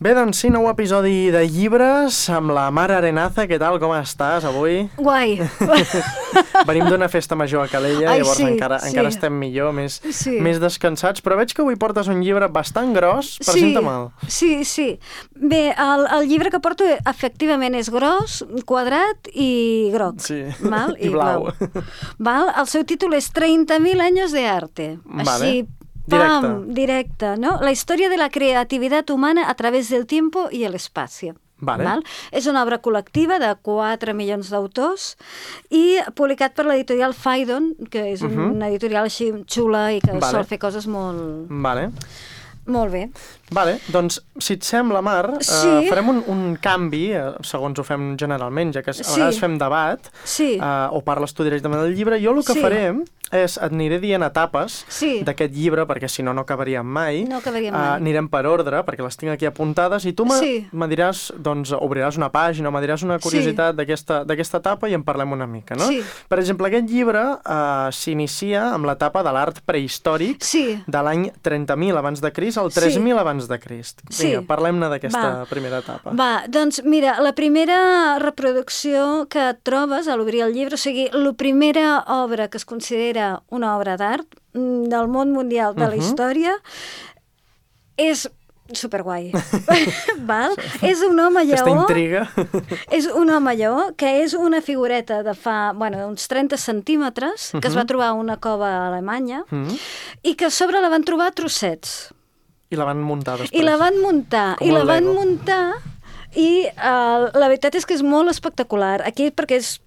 Bé, doncs sí, nou episodi de llibres amb la Mar Arenaza. Què tal, com estàs avui? Guai. Venim d'una festa major a Calella, Ai, llavors sí, encara estem millor, més descansats, però veig que avui portes un llibre bastant gros. Presenta mal. Sí. Bé, el llibre que porto efectivament és gros, quadrat i groc. Sí, val? i blau. Val? El seu títol és 30.000 años de arte. Vale. Així, directe, ¿no? La historia de la creatividad humana a través del tiempo y el espacio. Vale. Val? És una obra col·lectiva de 4 milions d'autors i publicat per l'editorial Phaidon, que és una editorial així xula i que sol fer coses molt... Vale. Molt bé. Vale, doncs, si et sembla, Mar, farem un canvi, segons ho fem generalment, ja que a vegades fem debat, o parles tu directament del llibre. Jo el que farem és, et aniré dient etapes d'aquest llibre, perquè si no, no acabaríem mai. No acabaríem mai. Anirem per ordre, perquè les tinc aquí apuntades, i tu me diràs, doncs, obriràs una pàgina, o me diràs una curiositat d'aquesta etapa i en parlem una mica, no? Sí. Per exemple, aquest llibre s'inicia amb l'etapa de l'art prehistòric de l'any 30.000 abans de Crist al 3.000 abans de Crist. Vinga, parlem-ne d'aquesta primera etapa. Va, doncs mira, la primera reproducció que et trobes a l'obrir el llibre, o sigui, la primera obra que es considera una obra d'art del món mundial de la història és superguai. Val? És un home lleó. Aquesta intriga. És un home lleó que és una figureta de fa, uns 30 centímetres que es va trobar a una cova a Alemanya i que a sobre la van trobar a trossets. I la van muntar després. I la van muntar i la veritat és que és molt espectacular. Aquí perquè és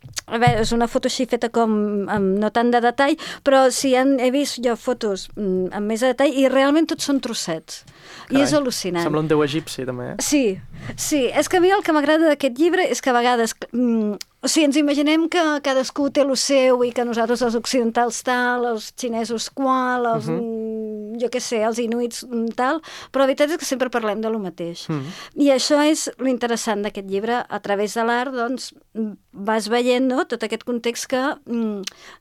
una foto així feta com amb no tant de detall, però he vist jo fotos amb més de detall i realment tots són trossets. Carai, i és al·lucinant. Sembla un déu egipci, també. Sí. És que a mi el que m'agrada d'aquest llibre és que a vegades... O sigui, ens imaginem que cadascú té el seu i que nosaltres els occidentals tal, els xinesos qual, els, jo què sé, els inuits tal, però la veritat és que sempre parlem de lo mateix. I això és l'interessant d'aquest llibre. A través de l'art, doncs, vas veient tot aquest context que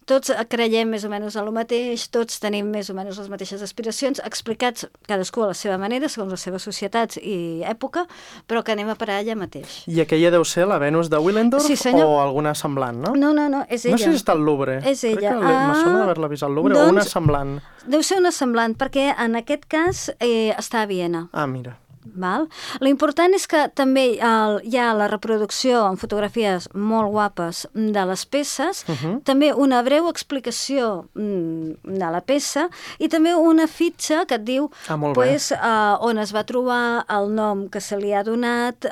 tots creiem més o menys en lo mateix, tots tenim més o menys les mateixes aspiracions, explicats cadascú a la seva manera, segons les seves societats i època, però que anem a parar allà mateix. I aquella deu ser la Venus de Willendorf? Sí, senyor. O alguna semblant, no? No, és ella. No sé si està al Louvre. És ella. Crec que me sona d'haver-la vist al Louvre, o una semblant. Deu ser una semblant, perquè en aquest cas està a Viena. Ah, mira. Val? L'important és que també hi ha la reproducció amb fotografies molt guapes de les peces, també una breu explicació de la peça i també una fitxa que et diu on es va trobar, el nom que se li ha donat,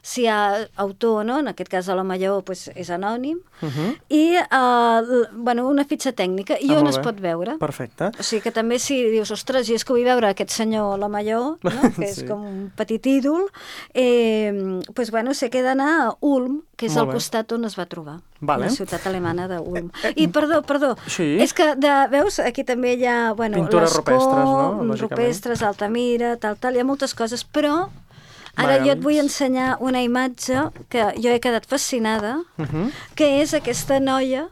si hi ha autor o no, en aquest cas de l'home lleó és anònim, i una fitxa tècnica i on es pot veure. Perfecte. O sigui que també si dius, ostres, i és que vull veure aquest senyor l'home lleó, no? Que és com un petit ídol, sé que he d'anar a Ulm, que és al costat on es va trobar, la ciutat alemana d'Ulm. I, perdó, és que, veus, aquí també hi ha pintures rupestres, no? Rupestres, Altamira, tal, hi ha moltes coses, però ara jo et vull ensenyar una imatge que jo he quedat fascinada, que és aquesta noia,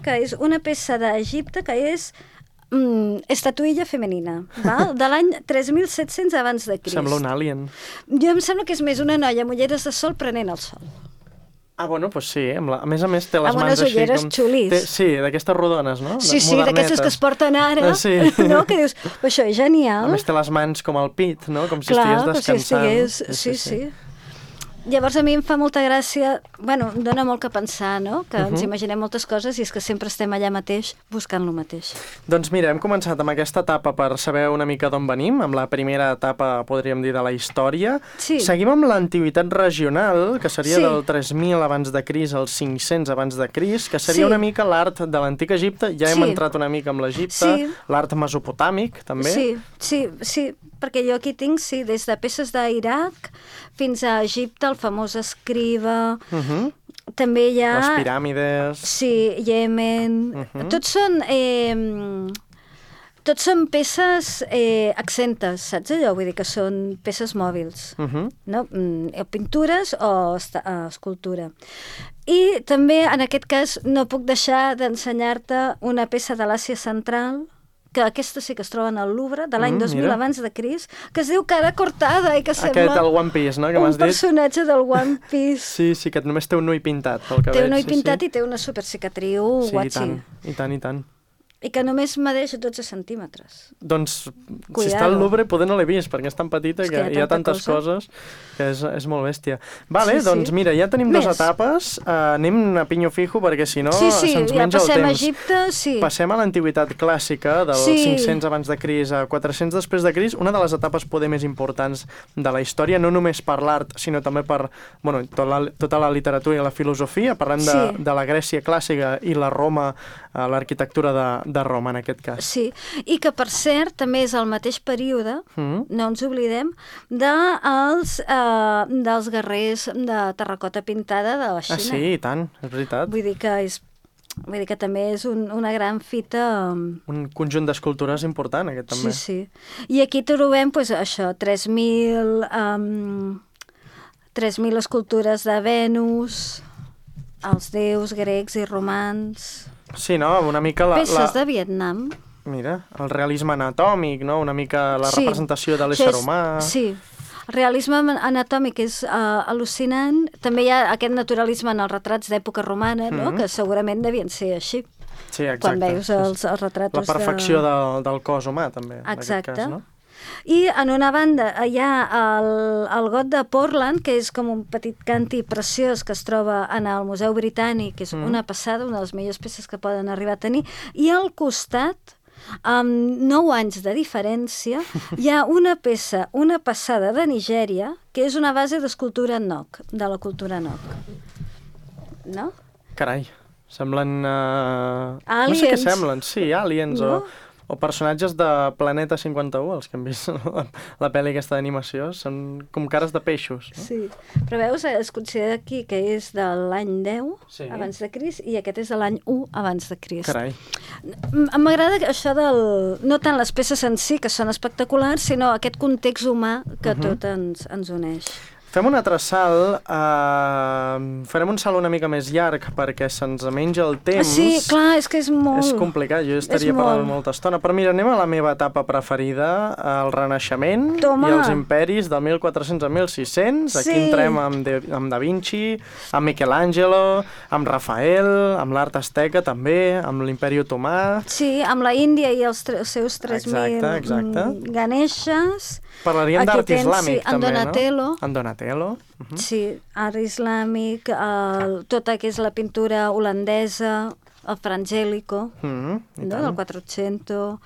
que és una peça d'Egipte, que és estatuilla femenina, val? De l'any 3.700 abans de Crist. Sembla un alien. Jo em sembla que és més una noia amb ulleres de sol prenent el sol. Ah, doncs sí, a més té les mans així ulleres xulis. Sí, d'aquestes rodones, no? Sí, d'aquestes que es porten ara, no? Que dius, això és genial. A més té les mans com al pit, no? Com si estigués descansant. Sí. Llavors a mi em fa molta gràcia, em dona molt que pensar, no? Que ens imaginem moltes coses i és que sempre estem allà mateix buscant lo mateix. Doncs mira, hem començat amb aquesta etapa per saber una mica d'on venim, amb la primera etapa, podríem dir, de la història. Sí. Seguim amb l'antiguitat regional, que seria del 3.000 abans de Crist al 500 abans de Crist, que seria una mica l'art de l'antic Egipte. Ja hem entrat una mica amb l'Egipte, l'art mesopotàmic, també. Sí, perquè jo aquí tinc, des de peces d'Iraq fins a Egipte, el famós escriba, també hi ha... Les piràmides... Sí, Iemen... Tots són peces accentes, saps allò? Vull dir que són peces mòbils, no? Pintures o escultura. I també, en aquest cas, no puc deixar d'ensenyar-te una peça de l'Àsia Central, que aquesta sí que es troben al Louvre, de l'any 2000 abans de Crist, que es diu Cara Cortada i que sembla... Aquest, el One Piece, no?, que m'has dit. Un personatge del One Piece. Sí, que només té un ull pintat, pel que veig. Té un ull pintat i té una supercicatriu guatxi. Sí, i tant. I que només medeix 12 centímetres. Doncs, si està al Louvre, poder no l'he vist, perquè és tan petita que hi ha tantes coses que és molt bèstia. Vale, doncs mira, ja tenim 2 etapes. Anem a pinyo fijo, perquè si no se'ns menja el temps. Passem a Egipte, Passem a l'antiguitat clàssica, del 500 abans de Crist a 400 després de Crist, una de les etapes poder més importants de la història, no només per l'art, sinó també per tota la literatura i la filosofia. Parlem de la Grècia clàssica i la Roma, l'arquitectura de Roma, en aquest cas. Sí, i que, per cert, també és el mateix període, no ens oblidem, dels guerrers de terracota pintada de la Xina. Sí, i tant, és veritat. Vull dir que també és una gran fita... Un conjunt d'escultures important, aquest també. Sí. I aquí trobem, això, 3.000 escultures de Venus, els déus grecs i romans... Sí, no? Una mica peces de Vietnam. Mira, el realisme anatòmic, no? Una mica la representació de l'ésser humà. Sí, el realisme anatòmic és al·lucinant. També hi ha aquest naturalisme en els retrats d'època romana, no? Que segurament devien ser així. Sí, exacte. Quan veus els retrats... La perfecció del cos humà, també, en aquest cas, no? I en una banda hi ha el got de Portland, que és com un petit canti preciós que es troba en el Museu Britànic, que és una passada, una de les millors peces que poden arribar a tenir, i al costat, amb 9 anys de diferència, hi ha una peça, una passada de Nigèria, que és una base d'escultura Nok, de la cultura Nok. No? Carai, semblen... Aliens. No sé què semblen, sí, aliens o personatges de Planeta 51, els que hem vist la pel·li aquesta d'animació, són com cares de peixos. No? Sí, però veus, es considera aquí que és de l'any 10 abans de Crist i aquest és de l'any 1 abans de Crist. Carai. M'agrada això no tant les peces en si, que són espectaculars, sinó aquest context humà que tot ens uneix. Fem un altre salt, farem un salt una mica més llarg perquè se'ns menja el temps. Sí, clar, és que és molt... És complicat, jo estaria parlant molta estona. Però mira, anem a la meva etapa preferida, el Renaixement i els imperis del 1400 a 1600. Aquí entrem amb Da Vinci, amb Michelangelo, amb Rafael, amb l'art asteca també, amb l'imperi otomà. Sí, amb la Índia i els seus 3.000 Ganeshas. Parlaríem d'art islàmic també, no? En Donatello. Sí, art islàmic, tota que és la pintura holandesa, el Fra Angelico, del 400.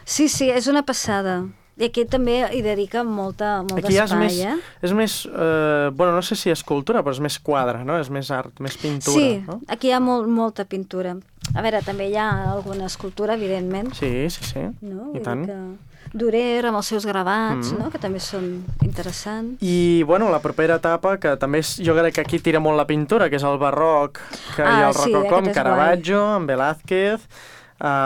Sí, és una passada. I aquí també hi dedica molt espai, És més, no sé si escultura, però és més quadre, no? És més art, més pintura. Sí, aquí hi ha molta pintura. A veure, també hi ha alguna escultura, evidentment. Sí, i tant. Durer, amb els seus gravats, no? Que també són interessants. I, la propera etapa, que també jo crec que aquí tira molt la pintura, que és el barroc, que hi ha el rococó amb Caravaggio, amb Velázquez,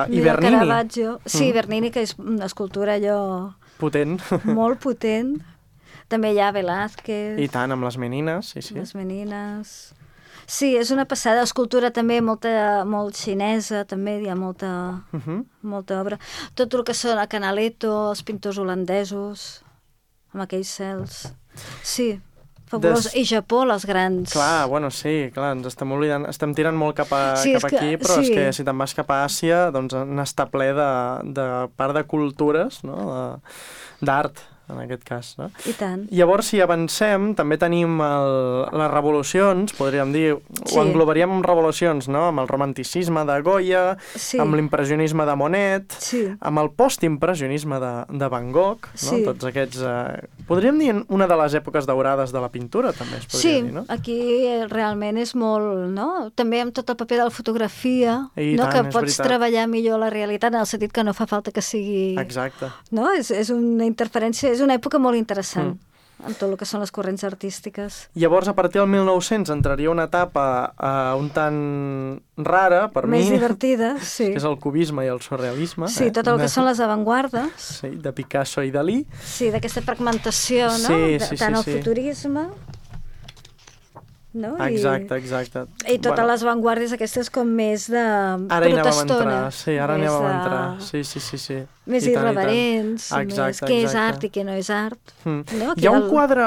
i Bernini. Caravaggio. Sí, Bernini, que és una escultura allò... Potent. Molt potent. També hi ha Velázquez. I tant, amb les menines, sí. Les menines... Sí, és una passada. Escultura també molt xinesa, també hi ha molta obra. Tot el que són a Canaletto, els pintors holandesos, amb aquells cels. Sí, fabulós. I Japó, les grans... Clar, ens estem oblidant, estem tirant molt cap aquí, però és que si te'n vas cap a Àsia, doncs n'està ple de part de cultures, no? D'art, en aquest cas, no? I tant. Llavors, si avancem, també tenim les revolucions, podríem dir, ho englobaríem amb revolucions, no? Amb el romanticisme de Goya, amb l'impressionisme de Monet, amb el postimpressionisme de Van Gogh, no? Tots aquests... Podríem dir una de les èpoques daurades de la pintura, també es podria dir, no? Sí, aquí realment és molt, no? També amb tot el paper de la fotografia, que pots treballar millor la realitat, en el sentit que no fa falta que sigui... Exacte. No? És una interferència, és una època molt interessant en tot el que són les corrents artístiques. Llavors, a partir del 1900 entraria una etapa un tant rara, per mi. Més divertida, sí. Que és el cubisme i el surrealisme. Sí, tot el que són les avantguardes. Sí, de Picasso i Dalí. Sí, d'aquesta fragmentació, no? Tant el futurisme... no? Exacte. I totes les vanguardies aquestes com més de ara protestona. Ara hi anàvem a entrar. Sí. Més irreverents, més què és art i què no és art. Hi ha un quadre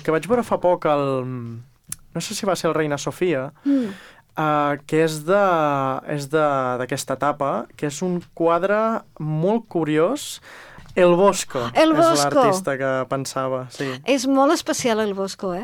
que vaig veure fa poc, no sé si va ser el Reina Sofia, que és d'aquesta etapa, que és un quadre molt curiós. El Bosco és l'artista que pensava. Sí. És molt especial el Bosco,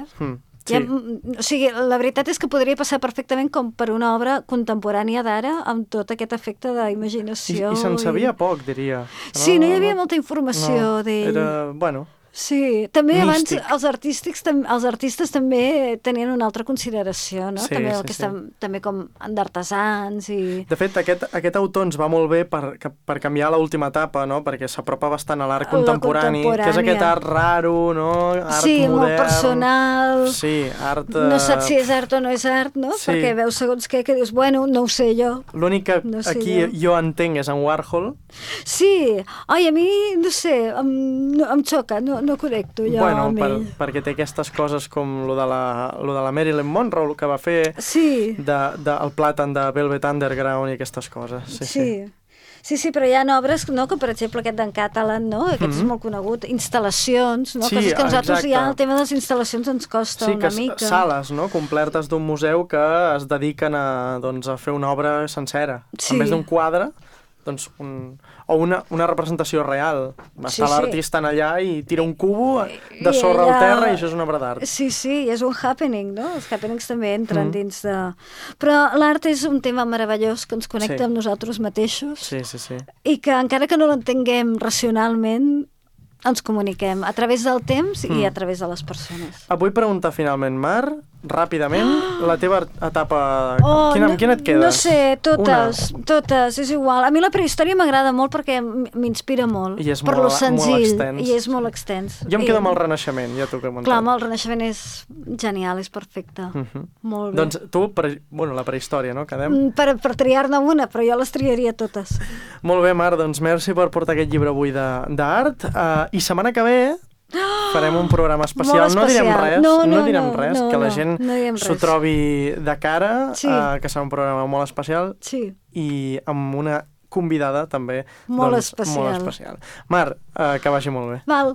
Sí. O sigui, la veritat és que podria passar perfectament com per una obra contemporània d'ara, amb tot aquest efecte d'imaginació. I se'n sabia poc, diria. Sí, no hi havia molta informació d'ell. Era, bueno... Sí, també abans els artistes també tenien una altra consideració, no? També com d'artesans i... De fet, aquest autor ens va molt bé per canviar l'última etapa, no? Perquè s'apropa bastant a l'art contemporani, que és aquest art raro, no? Art modern. Molt personal. Sí, art... No saps si és art o no és art, no? Sí. Perquè veus segons què, que dius, bueno, no ho sé jo. L'únic que aquí jo entenc és en Warhol. Sí. Ai, a mi, no sé, em xoca, no connecto jo amb ell. Perquè té aquestes coses com lo de la Marilyn Monroe, el que va fer, el plàtan de Velvet Underground i aquestes coses. Sí, però hi ha obres, no? Que per exemple aquest d'en Catalan, no? Aquest és molt conegut, instal·lacions, no? Coses que nosaltres ja el tema de les instal·lacions ens costa una mica. Sí, sales, no? Complertes d'un museu que es dediquen a fer una obra sencera. En vez d'un quadre, doncs o una representació real. Està l'artista allà i tira un cubo de sorra al terra i això és una obra d'art. Sí, és un happening, no? Els happenings també entren dins de... Però l'art és un tema meravellós que ens connecta amb nosaltres mateixos. Sí. I que encara que no l'entenguem racionalment, ens comuniquem a través del temps i a través de les persones. Et vull preguntar finalment, Mar, ràpidament, la teva etapa... Amb quina et quedes? No sé, totes, és igual. A mi la prehistòria m'agrada molt perquè m'inspira molt. I és molt extens. I és molt extens. Jo em quedo amb el Renaixement, ja t'ho he comentat. Clar, el Renaixement és genial, és perfecte. Molt bé. Doncs tu, la prehistòria, no? Quedem? Per triar-ne una, però jo les triaria totes. Molt bé, Mar, doncs merci per portar aquest llibre avui d'art. I setmana que ve farem un programa especial. No direm res, que la gent s'ho trobi de cara, que serà un programa molt especial i amb una convidada també molt especial. Mar, que vagi molt bé. Val.